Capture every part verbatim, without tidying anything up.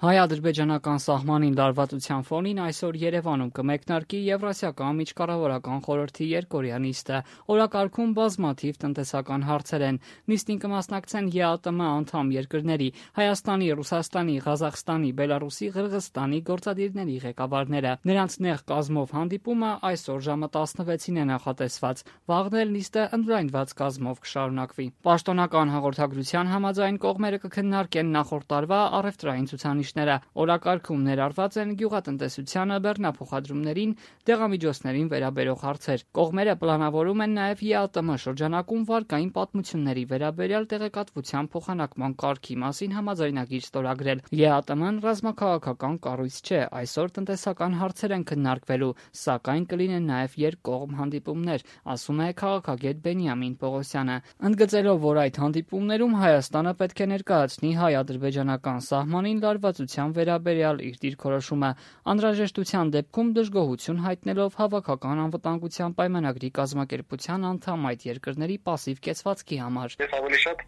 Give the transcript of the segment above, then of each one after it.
Հայ-ադրբեջանական սահմանին լարվածության ֆոնին այսօր Երևանում կմեկնարկի Եվրասիական միջկառավարական խորհրդի երկօրյա նիստը։ Օրակարգում բազմաթիվ տնտեսական հարցեր են։ Նիստին կմասնակցեն ԵԱՏՄ անդամ երկրների՝ Հայաստանի, Ռուսաստանի, Ղազախստանի, Բելարուսի, Ղրղըզստանի գործադիրների ղեկավարները։ Նրանց նեղ կազմով հանդիպումը այսօր ժամը տասնվեցին է նախատեսված։ Վաղն էլ նիստը ընդլայնված կազմով կշարունակվի։ Պաշտոնական հաղորդագրության համաձայն կողմերը կքննարկեն նախորդ տարվա առևտրային ցուցանիշ Օրակարգում ներառված են գյուղատնտեսությանը, բեռնափոխադրումներին, դեղամիջոցներին վերաբերող հարցեր։ Կողմերը պլանավորում են նաև ԵԱՏՄ շրջանակում վարկային պատմությունների վերաբերյալ տեղեկատվության փոխանակման կարգի մասին համաձայնագիր ստորագրել։ ԵԱՏՄ-ն ռազմաքաղաքական կառույց չէ, այսօր տնտեսական հարցեր են քննարկվելու, սակայն կլինեն նաև երկկողմ հանդիպումներ, ասում է քաղաքագետ Բենիամին Պողոսյանը, ընդգծելով, որ այդ հանդիպումներում Հայաստանը պետք է ներկայացնի հայ-ադրբեջանական սահմանին լարվածության վերաբերյալ իր դիրքորոշումը, անհրաժեշտության դեպքում դժգոհություն հայտնելով հավաքական անվտանգության պայմանագրի կազմակերպության անդամ այդ երկրների պասիվ կեցվածքի համար։ Ես ավելի շատ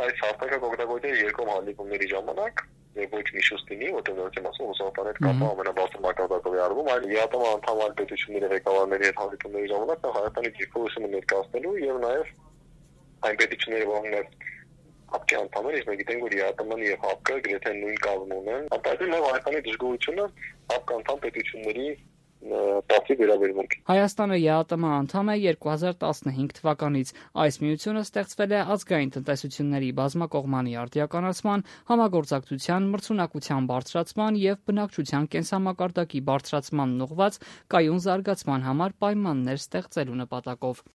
այս հարթակը կօգտագործել երկկողմ հանդիպումների ժամանակ եւ ոչ Միշուստինի, որտեղ եմ ասում, Ռուսաստանի հետ կապը ամենաբարձր մակարդակով է արվում, այլ ԵԱՏՄ անդամ այլ պետությունների ղեկավարների հետ հանդիպումների ժամանակ Հայաստանի դիրքորոշումը ներկայացնելու եւ նաեւ այն պետությունների որոնք Հապկի անդամներ, իսկ մենք գիտենք, որ ԵԱՏՄ-ն եւ Հապկը գրեթե նույն կազմում են։ Ապա նաեւ Հայաստանի դժգոհությունը Հապկ անդամ պետությունների պասիվ վերաբերմունք։ Հայաստանը ԵԱՏՄ անդամ է երկու հազար տասնհինգ թվականից։ Այս միությունը ստեղծվել է ազգային տնտեսությունների բազմակողմանի արդիականացման, համագործակցության, մրցունակության բարձրացման եւ բնակչության կենսամակարդակի բարձրացմանն ուղղված կայուն զարգացման համար պայմաններ ստեղծելու նպատակով։